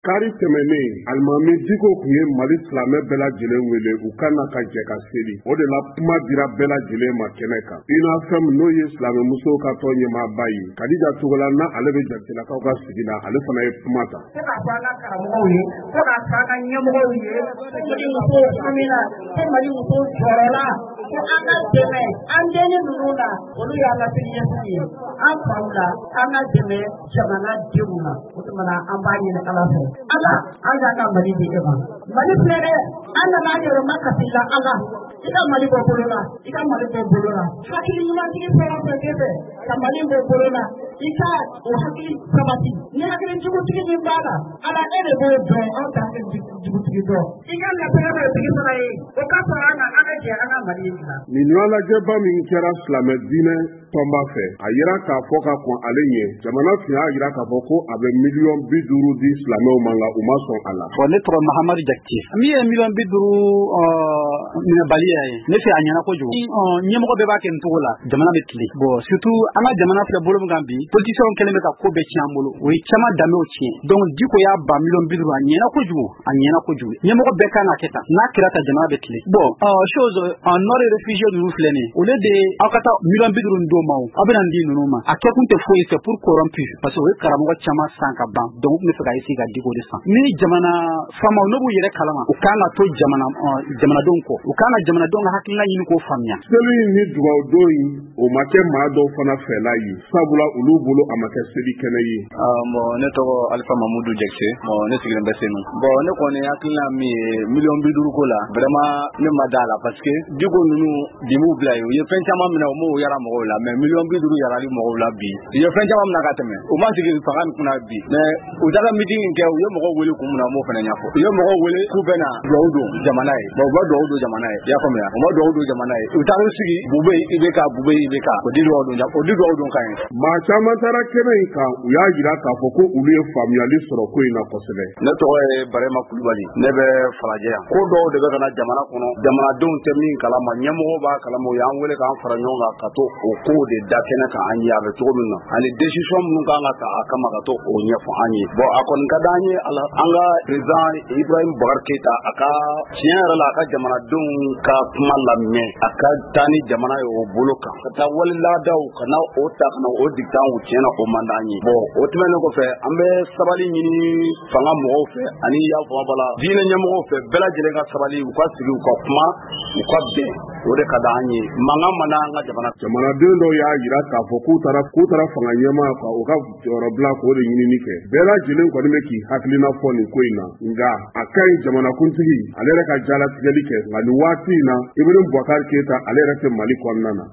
Kari tɛmɛnen, alimami Diko tun ye Mali silamɛ bɛɛ lajɛlen wele u ka na ka jɛ ka seli. O de la, kuma dira bɛɛ lajɛlen ma kɛnɛ kan. UNAFEM, n'o ye silamɛmusow ka tɔn ɲɛmaaba ye, Kadija Togola, n'a ale bɛ Jatilakaw ka sigi la, ale fana ye kuma ta. Ko k'a fɔ an ka karamɔgɔw ye, ko k'a fɔ an ka ɲɛmɔgɔw ye, ko Mali musow hamina, ko Mali musow jɔrɔla, ko an ka dɛmɛ an denni ninnu na, olu y'an ka siniɲɛsigi ye, an faw la, an ka dɛmɛ jamana denw na. O tuma na, an b'a ɲini Ala fɛ, Ala, an y'an ka Mali di e ma. Mali filɛ dɛ, an nana an yɛrɛ ma kasi la. Ala, i ka Mali bɔ bolo la, i ka Mali bɔ bolo la. Hakili ɲumantigi fɛn o fɛn bɛ fɛ ka Mali bɔ bolo la, i ka o hakili sabati. Ni hakili jugutigi min b'a la, Ala, e de b'o dɔn, anw tɛ hakili jugutigi dɔn. I ka latigɛ b'o tigi fana ye, o ka fara an kan, an ka jɛ an ka Mali in dilan. Nin ɲɔgɔnlajɛba min kɛra silamɛ diinɛ tɔnba fɛ, a yira k'a fɔ ka kɔn ale ɲɛ, jamana tun y'a jira k'a fɔ ko a bɛ 50 miliyɔn di silamɛw ma, nka u ma sɔn a la. Bon, ne tɔgɔ Mahamadu Jakite. Min ye 50 miliyɔn minɛbaliya ye, ne fɛ a ɲɛna kojugu. Ɲɛmɔgɔ bɛɛ b'a kɛ nin cogo la, jamana bɛ tilen. Bon, surtout an ka jamana filɛ bolo min kan bi, politiciens kɛlen bɛ ka ko bɛɛ tiɲɛ an bolo, o ye caman danbew tiɲɛ. Donc Diko y'a ban 50 miliyɔn, a ɲɛna kojugu, a ɲɛna kojugu. Ɲɛmɔgɔ bɛɛ kan ka kɛ tan, n'a kɛra tan, jamana bɛ tilen. Bon, chose nord réfugié ninnu filɛ nin ye, au lieu de aw ka taa 50 miliyɔn d'o ma, o aw bɛna nin di ninnu ma, a kɛkun tɛ foyi, c'est pour corrompre, parce que o ye karamɔgɔ caman san ka ban. Donc u tun bɛ fɛ ka essayer ka Diko de san. Ni jamana faamaw n'u b'u yɛrɛ kalama, u kan ka to jamana jamanadenw kɔ, u kan ka jamanadenw ka hakilina ɲini k'o faamuya. Seli in ni dugawudon in, o ma kɛ maa dɔw fana fɛla ye, sabula olu bolo a ma kɛ seli kɛnɛ ye. Bon, ne tɔgɔ Alifa Mamudu Jakite. Bon, ne sigilen bɛ Senu. Bon, ne kɔni hakilina min ye 50 miliyɔn ko la, vraiment ne ma da la, parce que Diko ninnu bi m'u bila yen, u ye fɛn caman minɛ, u m'o yara mɔgɔw la, mais 50 miliyɔn yarali mɔgɔw la bi. U ye fɛn caman minɛ ka tɛmɛ, u ma sigi fanga min kunna bi, mais u taara meeting kɛ, u ye mɔgɔw wele kun min na, u m'o fana ɲɛfɔ. U ye mɔgɔw wele k'u bɛ na duwawu don jamana ye. Bon, u ma duwawu don jamana ye, i y'a faamuya, u ma duwawu don jamana ye. U taara u sigi Bube IBK, Bube IBK, o di duwawu don, o di duwawu don kan ye. Maa caman taara kɛnɛ in kan, u y'a jira k'a fɔ ko olu ye faamuyali sɔrɔ ko in na kosɛbɛ. Ne tɔgɔ ye Barema Kulubali, ne bɛ Falajɛ yan. Ko dɔw de bɛ ka na jamana kɔnɔ, jamanadenw tɛ min kalama, ɲɛmɔgɔw b'a kalama. U y'an wele k'an fara ɲɔgɔn kan ka to o kow de da kɛnɛ kan an ye, a bɛ cogo min na, ani décision minnu kan ka ta a kama, ka to o ɲɛfɔ an ye. Bon, a kɔni ka d'an ye, ala an ka président Ibrahim Boubacar Keita, a ka tiɲɛ yɛrɛ la, a ka jamanadenw ka kuma lamɛn, a ka taa ni jamana ye o bolo kan, ka taa wali laadaw ka na o ta ka na o dicter an kun, tiɲɛ na o man d'an ye. Bon, o tɛmɛnen kɔfɛ, an bɛ sabali ɲini fanga mɔgɔw fɛ ani y'a faamu bala diinɛ ɲɛmɔgɔw fɛ, bɛɛ lajɛlen ka sabali, u ka sigi, u ka kuma, u ka bɛn, o de ka d'an ye. Mankan man d'an ka jamana. Jamanaden dɔw y'a jira k'a fɔ k'u taara fanga ɲɛmaa ka u ka jɔyɔrɔbila k'o de ɲinini kɛ. Bɛɛ lajɛlen kɔni bɛ k'i hakilina fɔ nin ko in na, nka a ka ɲi jamanakuntigi ale yɛrɛ ka jalatigɛli kɛ. Nka nin waati in na, Ibrahim Boubacar Keita, ale yɛrɛ tɛ Mali kɔnɔna na.